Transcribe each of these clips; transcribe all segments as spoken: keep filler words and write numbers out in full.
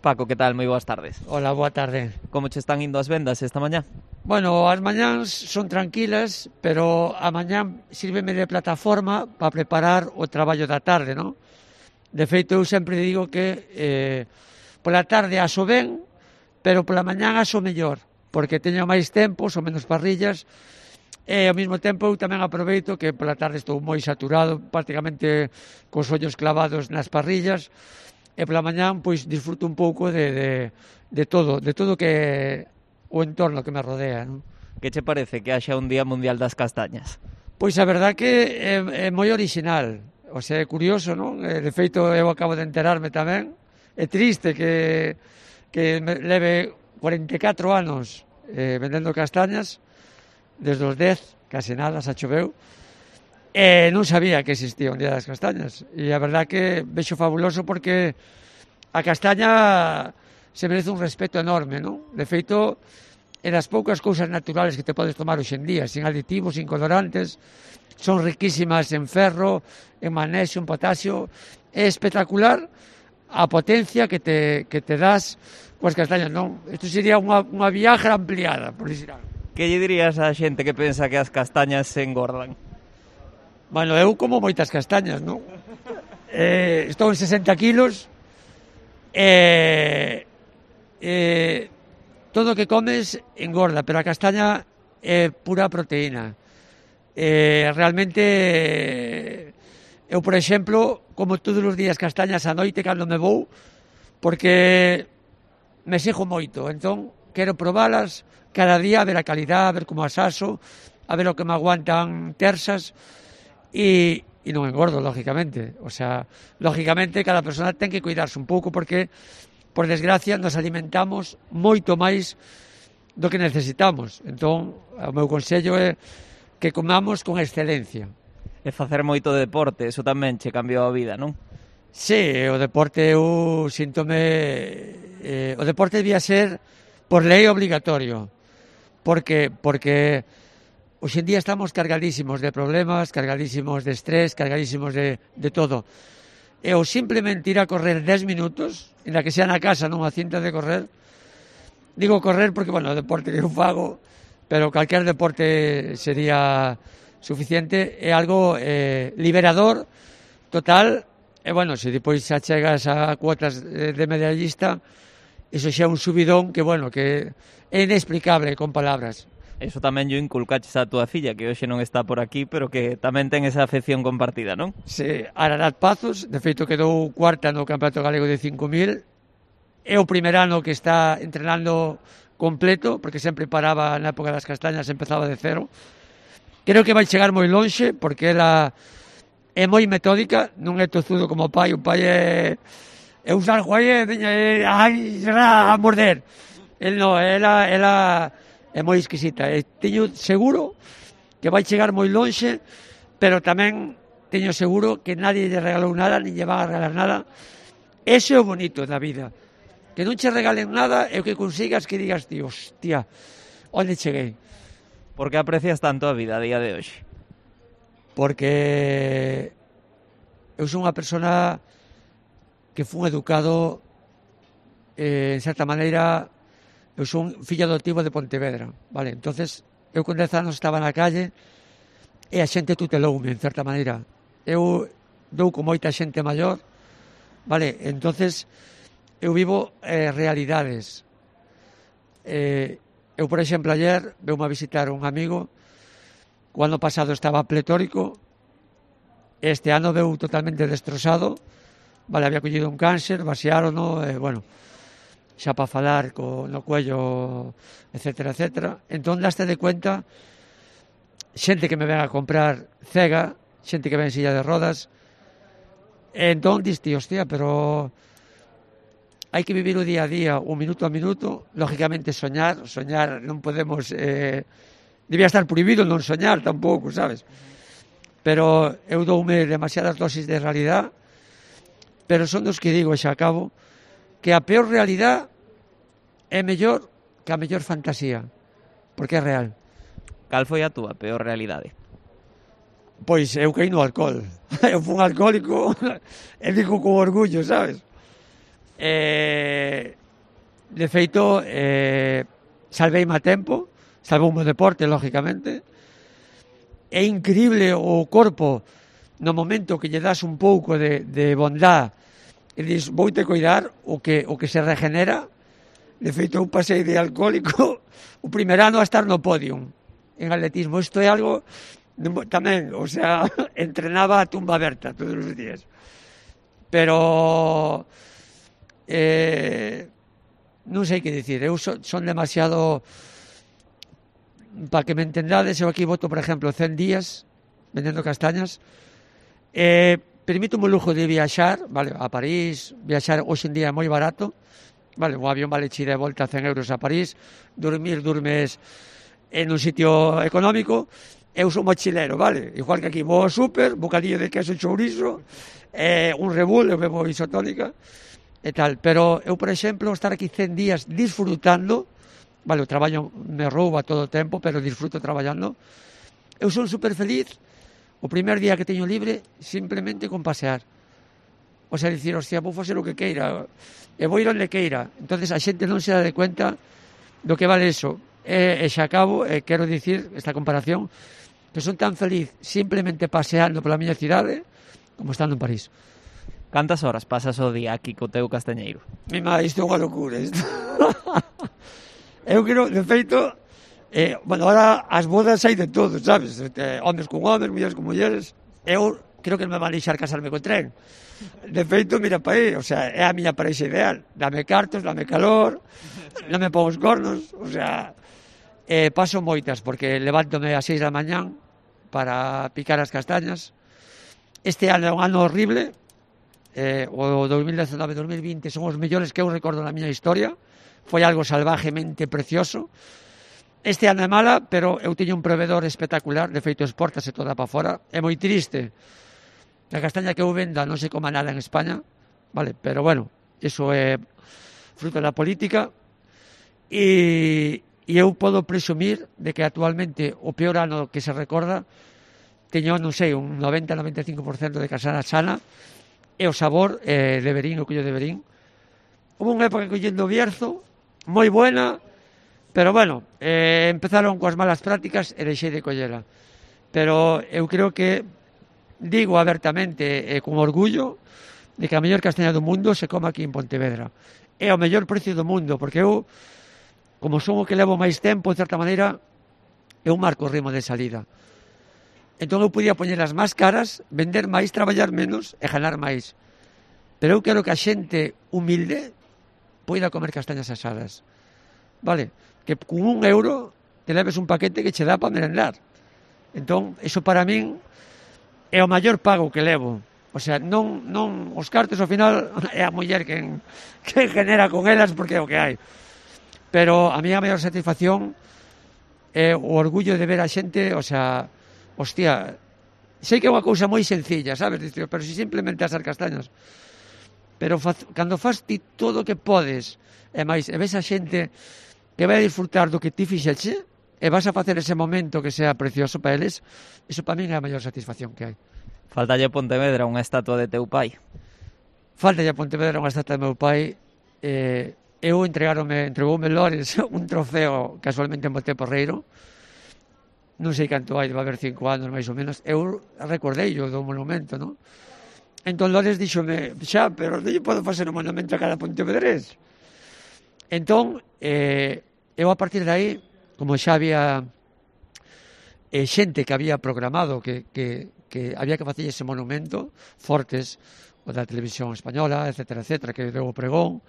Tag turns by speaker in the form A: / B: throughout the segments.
A: Paco, que tal? Moi boas tardes.
B: Hola, boa tarde.
A: Como che están indo as vendas esta mañá?
B: Bueno, as mañáns son tranquilas, pero a mañán sírveme de plataforma para preparar o traballo da tarde, non? De feito, eu sempre digo que eh, pola tarde aso ben, pero pola mañán aso mellor, porque teño máis tempo, son menos parrillas, e ao mesmo tempo eu tamén aproveito que pola tarde estou moi saturado, prácticamente cos ollos clavados nas parrillas, e pola mañán pois disfruto un pouco de, de, de todo, de todo que o entorno que me rodea, non?
A: Que che parece que haxa un Día Mundial das Castañas?
B: Pois a verdad que é, é moi original, o sea, é curioso, non? De feito, eu acabo de enterarme tamén, é triste que, que me leve cuarenta e catro anos eh, vendendo castañas, desde os dez, case nada, xa choveu, e non sabía que existía un Día das Castañas, e a verdad que vexo fabuloso porque a castaña se merece un respeto enorme, non? De feito, é das poucas cousas naturales que te podes tomar hoxe en día, sin aditivos, sin colorantes, son riquísimas en ferro, en magnesio, en potasio, é espectacular a potencia que te, que te das coas castañas, non? Isto sería unha, unha viaje ampliada, por dicir algo.
A: Que lle dirías á xente que pensa que as castañas se engordan?
B: Bueno, eu como moitas castañas, non? Eh, estou en sesenta kilos e eh, todo o que comes engorda, pero a castaña é pura proteína. Eh, realmente, eu, por exemplo, como todos os días castañas a noite cando me vou, porque me sexo moito, entón quero probalas cada día, a ver a calidad, a ver como as aso, a ver o que me aguantan tersas, e, e non engordo, lógicamente. O sea, lógicamente, cada persona ten que cuidarse un pouco, porque, por desgracia, nos alimentamos moito máis do que necesitamos. Entón, o meu consello é que comamos con excelencia.
A: E facer moito de deporte, eso tamén che cambiou a vida, non?
B: Sí, o deporte eu síntome... Eh, o deporte debía ser por lei obligatorio, porque porque hoxe en día estamos cargadísimos de problemas, cargadísimos de estrés, cargadísimos de, de todo. E o simplemente ir a correr dez minutos, en la que sea na casa, non a cinta de correr, digo correr porque, bueno, o deporte que eu fago, pero calquer deporte sería suficiente, é algo eh, liberador, total, e, bueno, se depois xa chegas a cuotas de, de medallista, iso xa é un subidón que, bueno, que é inexplicable con palabras.
A: Eso tamén yo inculcaches a túa filla, que hoxe non está por aquí, pero que tamén ten esa afección compartida, non?
B: Sí, Ararat Pazos, de feito quedou cuarta no Campeonato Galego de cinco mil, é o primer ano que está entrenando completo, porque sempre paraba na época das castañas, empezaba de cero. Creo que vai chegar moi lonxe, porque ela é moi metódica, non é tozudo como o pai, o pai é... é usar joie, é... ai, será a morder. El non, ela... ela é moi exquisita, e teño seguro que vai chegar moi lonxe, pero tamén teño seguro que nadie lle regalou nada, nin lle van a regalar nada. Ese é o bonito da vida, que non che regalen nada e o que consigas que digas, tío, hostia, onde cheguei?
A: Por que aprecias tanto a vida a día de hoxe?
B: Porque eu sou unha persona que fun educado eh, en certa maneira. Eu sou un fillo adoptivo de Pontevedra, vale? Entonces, eu con dez anos estaba na calle e a xente tuteloume, en certa maneira. Eu dou con moita xente maior, vale? Entonces, eu vivo eh, realidades. Eh, eu, por exemplo, ayer veume a visitar un amigo, o ano pasado estaba pletórico, este ano veu totalmente destrozado, vale? Había collido un cáncer, vaciárono, e, eh, bueno... xa para falar co, no cuello, etcétera, etcétera. Entón, daste de cuenta, xente que me ven a comprar cega, xente que ven en silla de rodas, e entón, diste, hostia, pero hai que vivir o día a día, un minuto a minuto, lógicamente soñar, soñar non podemos, eh, debía estar prohibido non soñar tampouco, sabes? Pero eu doume demasiadas dosis de realidad, pero son dos que digo, xa acabo, que a peor realidad é mellor que a mellor fantasía, porque é real.
A: Cal foi a túa peor realidade?
B: Pois eu caí no alcohol. Eu fui un alcohólico e digo con orgullo, sabes? Eh, de feito, eh, salveime a tempo, salvou o meu deporte, lógicamente. É increíble o corpo no momento que lle das un pouco de, de bondad e dis, voute cuidar o que, o que se regenera. De feito, eu pasei de alcohólico o primer ano a estar no podium en atletismo. Isto é algo tamén, o sea, entrenaba a tumba aberta todos os días. Pero eh, non sei que dicir, eu so, son demasiado, para que me entendades, eu aquí voto, por exemplo, cen días vendendo castañas. Eh, permítome o lujo de viaxar, vale, a París. Viaxar hoxe en día é moi barato, vale, un avión vale chida de volta cen euros a París. Dormir, durmes en un sitio económico. Eu sou mochilero, vale, igual que aquí vou ao súper, bocadillo de queso e chourizo, eh, un Red Bull, eu bebo isotónica e tal. Pero eu, por exemplo, estar aquí cen días disfrutando, vale, o traballo me rouba todo o tempo, pero disfruto traballando. Eu son super feliz o primer día que teño libre simplemente con pasear. O sea, dicir, hostia, vou facer o que queira e vou ir onde queira. Entonces a xente non se dá de cuenta do que vale eso. E, e xa acabo, e quero dicir esta comparación, que son tan feliz simplemente paseando pola miña cidade como estando en París.
A: Cantas horas pasas o día aquí co teu castañeiro?
B: Mi madre, isto é unha locura, isto. Eu quero, de feito, eh, bueno, ahora as bodas hai de todo, sabes? Eh, homes con homes, mulleres con mulleres. Eu creo que non me van deixar casarme con tren. De feito, mira pa aí, o sea, é a miña parexa ideal. Dame cartos, dame calor, non me pon os cornos, o sea, eh, paso moitas, porque levántome a seis da mañán para picar as castañas. Este ano é un ano horrible, eh, o dos mil diecinueve dos mil vinte son os mellores que eu recordo na miña historia. Foi algo salvajemente precioso. Este ano é mala, pero eu teño un proveedor espectacular, de feito exportase toda para fora. É moi triste a castaña que eu venda non se coma nada en España, vale, pero bueno, iso é fruto da política. E, e eu podo presumir de que actualmente o peor ano que se recorda teño, non sei, un noventa a noventa e cinco por cento de casana sana, e o sabor eh, de Verín, o collo de Verín. Houve unha época collendo Bierzo, moi buena, pero bueno, eh, empezaron coas malas prácticas e deixei de collela. Pero eu creo que digo abertamente e con orgullo de que a mellor castaña do mundo se coma aquí en Pontevedra. É o mellor precio do mundo, porque eu, como son o que levo máis tempo, de certa maneira, eu marco o ritmo de salida. Entón eu podía poñelas máis caras, vender máis, traballar menos e ganar máis. Pero eu quero que a xente humilde poida comer castañas asadas. Vale? Que con un euro te leves un paquete que che dá para merendar. Entón, iso para min é o maior pago que levo. O sea, non, non os cartos ao final é a muller quen, quen genera con elas, porque é o que hai. Pero a miña maior satisfacción é o orgullo de ver a xente, o sea, hostia, sei que é unha cousa moi sencilla, sabes? Pero si simplemente asar castañas. Pero faz, cando faz ti todo o que podes, e máis, e ves a xente que vai a disfrutar do que ti fixeche, e vas a facer ese momento que sea precioso para eles, iso para min é a maior satisfacción que hai.
A: Faltalle a Pontevedra unha estatua de teu pai?
B: Faltalle a Pontevedra unha estatua de meu pai. Eh, eu entregaronme, entregoume Lores un trofeo casualmente en Monteporreiro. Non sei canto hai, debe haber cinco anos máis ou menos. Eu recordei o do monumento, non? Entón Lores díxome, xa, pero non lle podo facer un monumento a cada pontevedrés. Entón, eh, eu a partir de aí, como xa había eh, xente que había programado que, que, que había que facer ese monumento, Fortes, o da televisión española, etcétera, etcétera, que deu o pregón.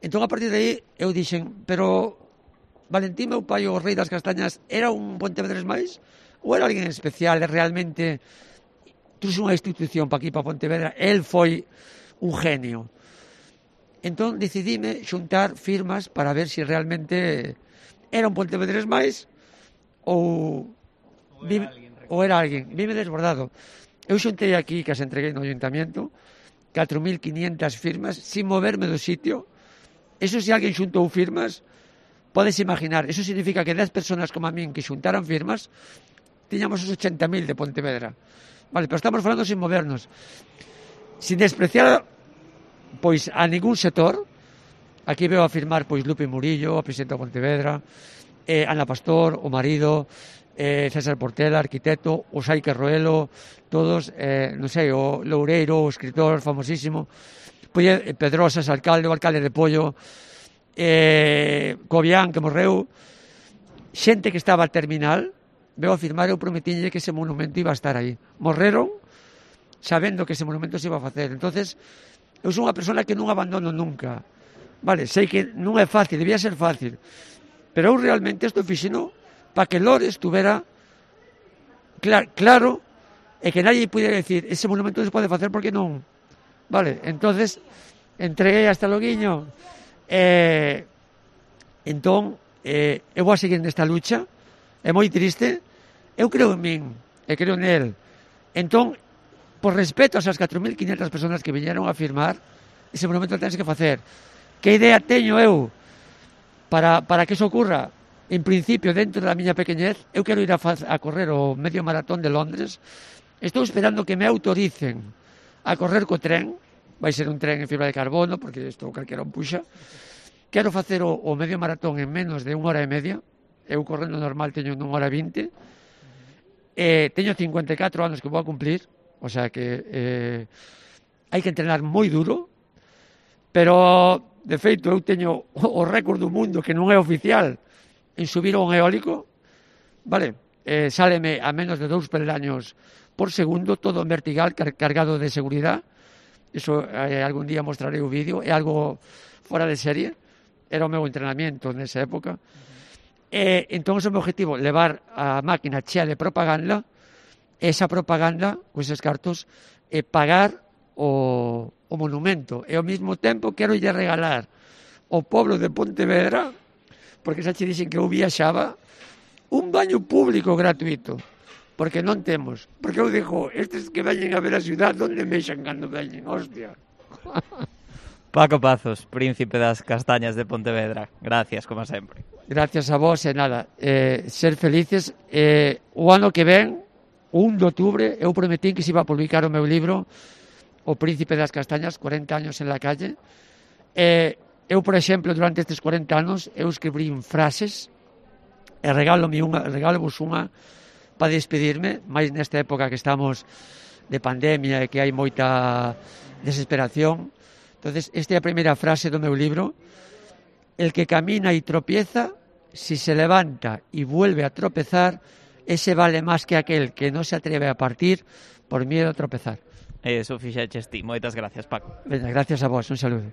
B: Entón, a partir de aí, eu dixen, pero Valentín, meu pai, o rei das castañas, era un pontevedrés máis? Ou era alguén especial e realmente trouxe unha institución para aquí, para Pontevedra? El foi un genio. Entón, decidime xuntar firmas para ver se si realmente era un pontevedrés máis ou, ou era alguén. Ou era alguén. Vime desbordado. Eu xuntei aquí, que as entreguei no ayuntamiento, catro mil quinientas firmas, sin moverme do sitio. Eso, se alguén xuntou firmas, podes imaginar, eso significa que dez personas como a min que xuntaran firmas, tiñamos os ochenta mil de Pontevedra. Vale, pero estamos falando sin movernos. Sin despreciar pois a ningún sector. Aquí veo a firmar pois Lupe Murillo, a presidenta de Pontevedra, eh, Ana Pastor, o marido, eh, César Portela, arquitecto, o Saique Roelo, todos, eh, non sei, o Loureiro, o escritor famosísimo, pois eh, Pedrosas, alcalde, o alcalde de Pollo, eh, Cobián, que morreu, xente que estaba al terminal, veo a firmar, eu prometílle que ese monumento iba a estar aí. Morreron sabendo que ese monumento se iba a facer. Entonces, eu sou unha persona que non abandono nunca. Vale, sei que non é fácil, debía ser fácil, pero eu realmente estou fixeno para que Lores tuvera clar, claro e que nadie pudiera decir ese monumento se pode facer porque non. Vale, entonces entreguei hasta Loguiño e entón eh, eu vou a seguir nesta lucha. É moi triste, eu creo en min e creo nel. Entón, por respeto a esas catro mil quinhentas personas que viñeron a firmar, ese monumento tens que facer. Que idea teño eu para, para que eso ocurra? En principio, dentro da miña pequeñez, eu quero ir a, a correr o medio maratón de Londres. Estou esperando que me autoricen a correr co tren. Vai ser un tren en fibra de carbono, porque isto calquera un puxa. Quero facer o, o medio maratón en menos de unha hora e media. Eu correndo normal teño unha hora e vinte. Eh, teño cincuenta e catro anos que vou a cumplir. O sea que eh, hai que entrenar moi duro, pero de feito eu teño o récord do mundo que non é oficial en subir a un eólico, vale, eh, sáleme a menos de dous peldaños por segundo, todo en vertical, car cargado de seguridade. Iso eh, algún día mostrarei o vídeo, é algo fora de serie, era o meu entrenamiento nesa época. E entón o meu objetivo, levar a máquina chea de propaganda, esa propaganda, con eses cartos, e pagar o, o monumento. E ao mesmo tempo quero lle regalar ao pobo de Pontevedra, porque xa che dixen que eu viaxaba, un baño público gratuito, porque non temos. Porque eu digo, estes que veñen a ver a ciudad, onde mexan cando veñen? Hostia.
A: Paco Pazos, príncipe das castañas de Pontevedra. Gracias, como sempre.
B: Gracias a vos, e nada, eh, ser felices. Eh, o ano que ven, o un de outubro, eu prometín que se iba a publicar o meu libro O príncipe das castañas, cuarenta años en la calle. Eh, eu, por exemplo, durante estes cuarenta anos, eu escribí frases e regalo-me unha, regalo-vos unha para despedirme, máis nesta época que estamos de pandemia e que hai moita desesperación. Entonces, esta é a primeira frase do meu libro. El que camina y tropieza, si se levanta y vuelve a tropezar, ese vale máis que aquel que non se atreve a partir por miedo a tropezar.
A: Eso fixeches ti. Moitas gracias, Paco.
B: Venga, gracias a vos. Un saludo.